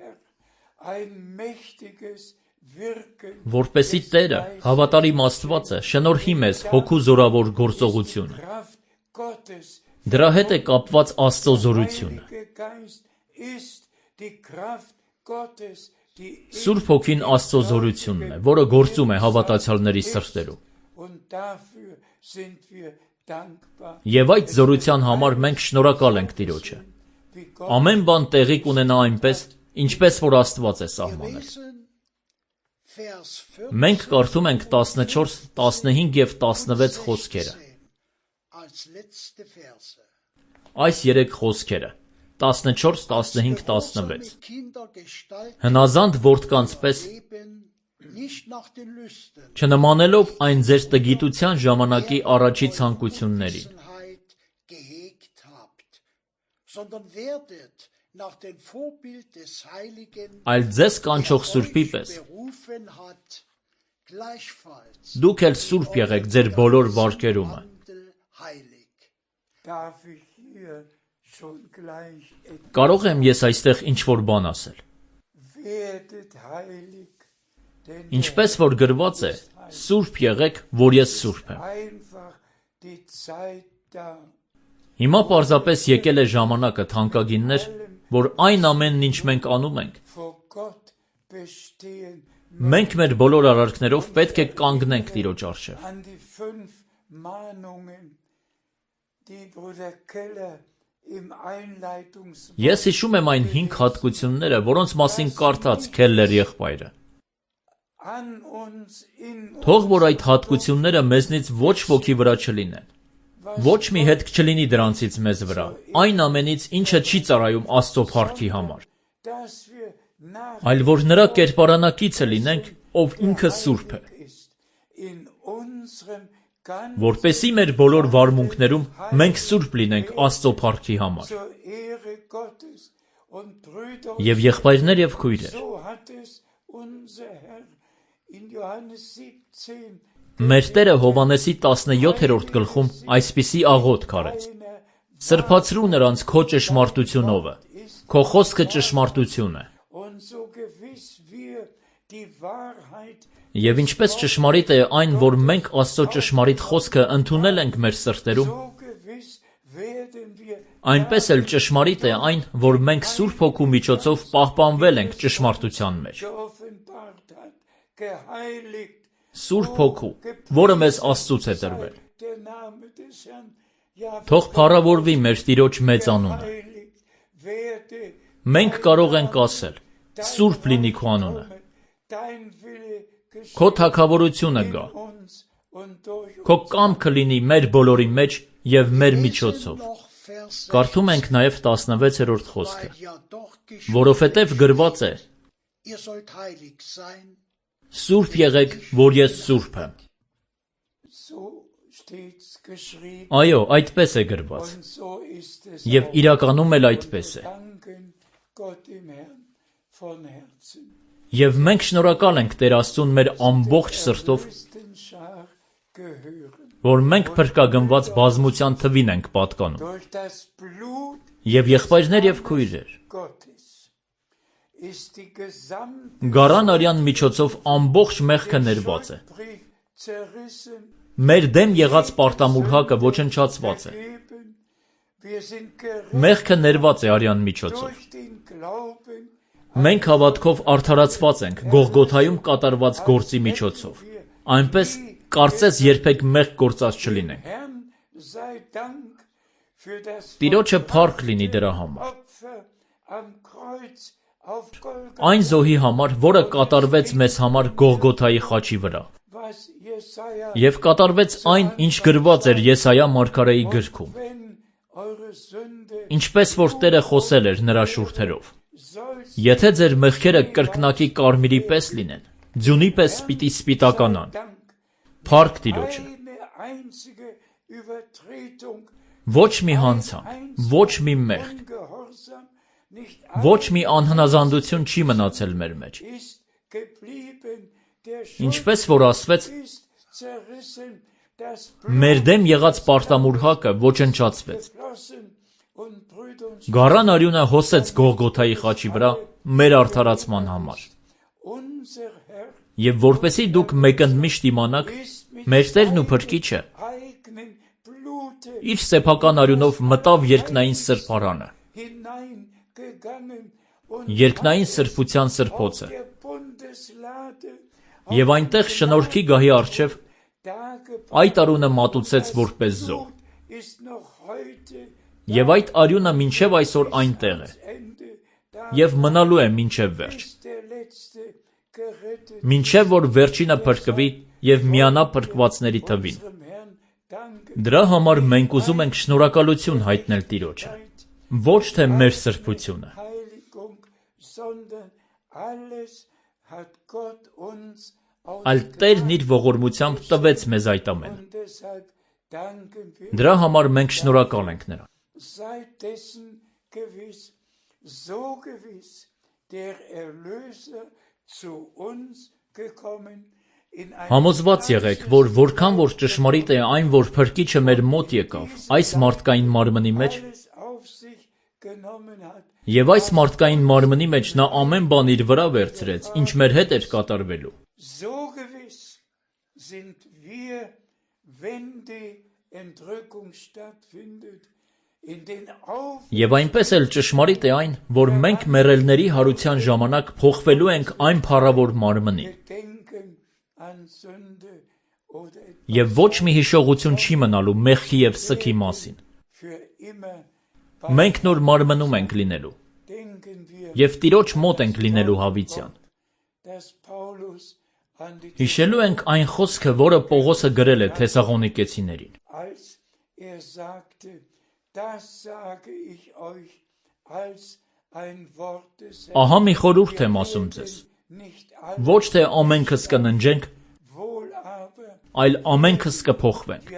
որպեսզի Տերը, հավատարիմ Աստվածը, շնորհի մեզ հոգու զորավոր գործողությունը։ Դրա հետ է կապված Աստծո զորությունը։ Սուրբ Հոգին Աստծո զորությունն է, որը գործում է հավատացյալների սրտերում։ Եվ այդ զորության համար մենք շնորհակալ ենք Տիրոջը։ Ամեն բան տեղի կունենա այնպես, ինչպես որ Աստված է սահմանել։ Մենք կարդում ենք տասնչորս, տասնհինգ և տասնվեց խոսքերը։ Այս երեք խոսքերը՝ տասնչորս, տասնհինգ, տասնվեց, հնազանդ որդկանց պես չնմանելով այն ձեր տգիտության ժամանակի առաջի ցանկություններին, այլ ձեզ կանչող Սուրբի պես դուք էլ սուրբ եղեք ձեր բոլոր վարքերումը։ Կարող եմ ես այստեղ ինչ-որ բան ասել։ Ինչպես որ գրված է, սուրբ եղեք, որ ես սուրբ եմ։ Հիմա պարզապես եկել է ժամանակը, թանկագիններ, որ այն ամենն, ինչ մենք անում ենք, մենք մեր բոլոր արարքներով պետք է կանգնենք Տիրոջ առջև։ Ես հիշում եմ այն հինգ հատկությունները, որոնց մասին կարդաց Քելլեր եղբայրը։ Թող որ այդ հատկությունները մեզնից ոչ ոքի վրա չլինեն, ոչ մի հետք չլինի դրանցից մեզ վրա, այն ամենից, ինչը չի ծառայում Աստծո փառքի համար, այլ որ նրա կերպարանակիցը լինենք, ով ինքը սուրբ է, որպեսզի մեր բոլոր վարմունքներում մենք սուրբ լինենք Աստծո փառքի համար։ Եվ եղբայրներ և քույրեր, մեր Տերը Հովհաննեսի տասնյոթերորդ գլխում այսպիսի աղոթք արեց. «Սրբացրու նրանց քո ճշմարտությունովը, քո խոսքը ճշմարտություն է»։ Եվ ինչպես ճշմարիտ է այն, որ մենք Աստծո ճշմարիտ խոսքը ընդունել ենք մեր սրտերում, այնպես էլ ճշմարիտ է այն, որ մենք Սուրբ Հոգու միջոցով պահպանվել ենք ճշմարտության մեջ։ Սուրբ Հոգու, որը մեզ Աստծուց է տրվել։ Թող փառավորվի մեր Տիրոջ մեծ անունը։ Մենք կարող ենք ասել. «Սուրբ լինի քո անունը»։ Քո թագավորությունը գա։ Քո կամքը լինի մեր բոլորի մեջ և մեր միջոցով։ Կարդում ենք նաև տասնվեցերորդ խոսքը, որովհետև գրված է. «Սուրբ եղեք, որ ես սուրբ եմ»։ Այո, այդպես է գրված։ Եվ իրականում էլ այդպես է։ Եվ մենք շնորհակալ ենք Տեր Աստծուն մեր ամբողջ սրտով, որ մենք փրկագնված բազմության թվին ենք պատկանում։ Եվ եղբայրներ և քույրեր, Գարան արյան միջոցով ամբողջ մեղքը ներված է։ Մեր դեմ եղած պարտամուրհակը ոչնչացված է։ Մեղքը ներված է արյան միջոցով։ Մենք հավատքով արդարացված ենք Գողգոթայում կատարված գործի միջոցով, այնպես կարծես երբեք մեղք գործած չլինենք։ Տիրոջը փառք լինի դրա համար։ Այն զոհի համար, որը կատարվեց մեզ համար Գողգոթայի խաչի վրա, և կատարվեց այն, ինչ գրված էր Եսայիա մարգարեի գրքում, ինչպես որ Տերը խոսել էր նրա շուրթերով. եթե ձեր մեղքերը կրկնակի կարմիրի պես լինեն, ձյունի պես պիտի սպիտականան։ Փառք Տիրոջը։ Ոչ մի հանցանք, ոչ մի մեղք, ոչ մի անհնազանդություն չի մնացել մեր մեջ։ Ինչպես որ ասվեց, մեր դեմ եղած պարտամուր հակը ոչնչացվեց։ Գառան արյունը հոսեց Գողգոթայի խաչի վրա մեր արդարացման համար։ Եվ որպեսզի դուք մեկընդմիշտ իմանաք, մեր Տերն ու Փրկիչը իր սեփական արյունով մտավ երկնային սրբարանը, երկնային սրբության սրբոցը, և այնտեղ շնորհքի գահի առջև այդ արյունը մատուցեց որպես զոհ։ Եվ այդ արյունը մինչև այսօր այնտեղ է, և մնալու է մինչև վերջ, մինչև որ վերջինը փրկվի և միանա փրկվածների թվին։ Դրա համար մենք ուզում ենք շնորհակալություն հայտնել Տիրոջը, ոչ թե մեր սրբությունը, այլ Տերն իր ողորմությամբ տվեց մեզ այդ ամենը։ Դրա համար մենք շնորհակալ ենք նրան։ Համոզված եղեք, որ որքան որ ճշմարիտ է այն, որ Փրկիչը մեր մոտ եկավ այս մարդկային մարմնի մեջ, և այս մարդկային մարմնի մեջ նա ամեն բան իր վրա վերցրեց, ինչ մեր հետ էր կատարվելու։ Եվ այնպես էլ ճշմարիտ է այն, որ մենք մեռելների հարության ժամանակ փոխվելու ենք այն փառավոր մարմնին։ Եվ ոչ մի հիշողություն չի մնալու մեղքի և սգի մասին։ Մենք նոր մարմնում ենք լինելու, և Տիրոջ մոտ ենք լինելու հավիտյան։ Հիշելու ենք այն խոսքը, որը Պողոսը գրել է Թեսաղոնիկեցիներին. Ահա մի խորհուրդ եմ ասում ձեզ, ոչ թե ամենքս կննջենք, այլ ամենքս կփոխվենք։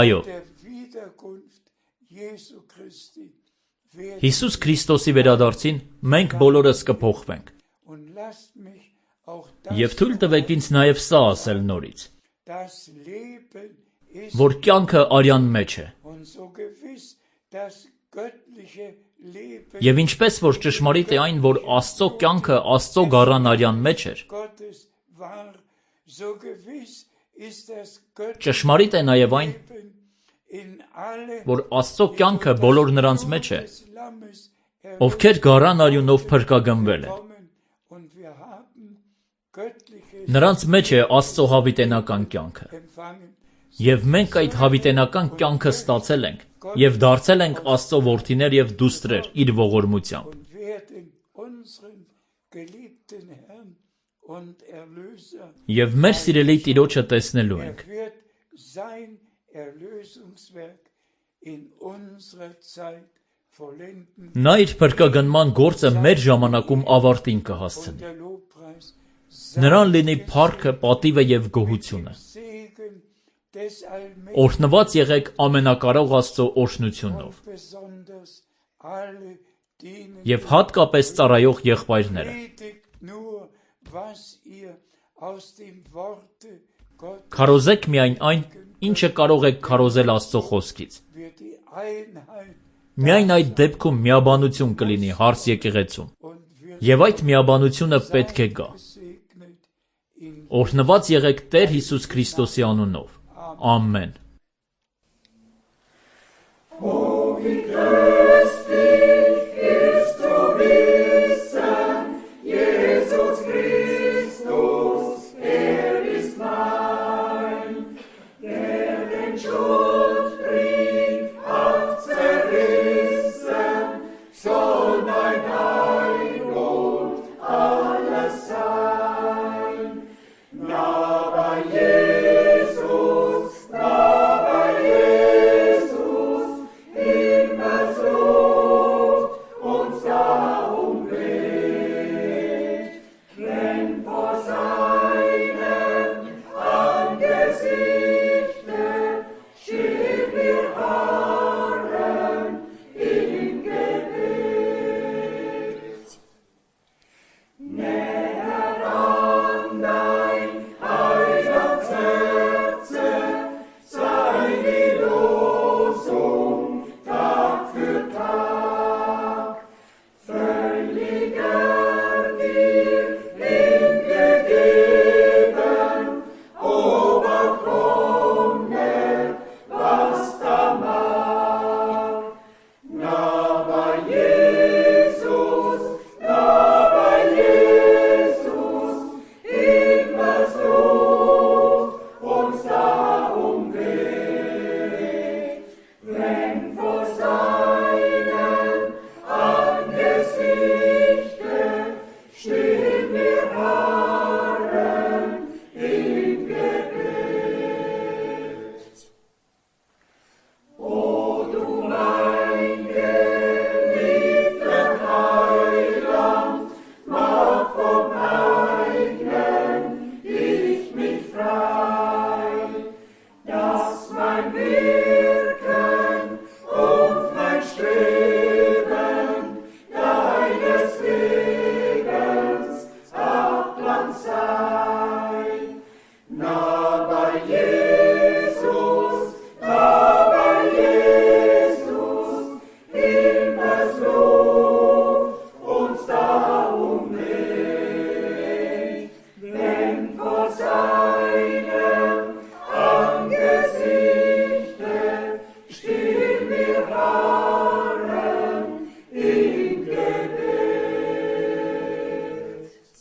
Այո, Հիսուս Քրիստոսի վերադարձին մենք բոլորս կփոխվենք։ Եվ թույլ տվեք ինձ նաև սա ասել նորից, որ կյանքը արյան մեջ է։ Եվ ինչպես որ ճշմարիտ է այն, որ Աստծո կյանքը Աստծո գառան արյան մեջ էր, ճշմարիտ է նաև այն, որ Աստծո կյանքը բոլոր նրանց մեջ է, ովքեր գառան արյունով փրկագնվել են։ Նրանց մեջ է Աստծո հավիտենական կյանքը։ Եվ մենք այդ հավիտենական կյանքը ստացել ենք և դարձել ենք Աստծո որդիներ և դուստրեր իր ողորմությամբ։ Եվ մեր սիրելի Տիրոջը տեսնելու ենք։ Նա իր փրկագնման գործը մեր ժամանակում ավարտին կհասցնի։ Նրան լինի փառքը, պատիվը և գոհությունը։ Օրհնված եղեք ամենակարող Աստծո օրհնությունով։ Եվ հատկապես ծառայող եղբայրները։ Քարոզեք միայն այն, ինչը կարող եք քարոզել Աստծո խոսքից։ Միայն այդ դեպքում միաբանություն կլինի հարս եկեղեցում, և այդ միաբանությունը պետք է գա։ Օրհնված եղեք Տեր Հիսուս Քրիստոսի անունով։ Ամեն։ Alleluia.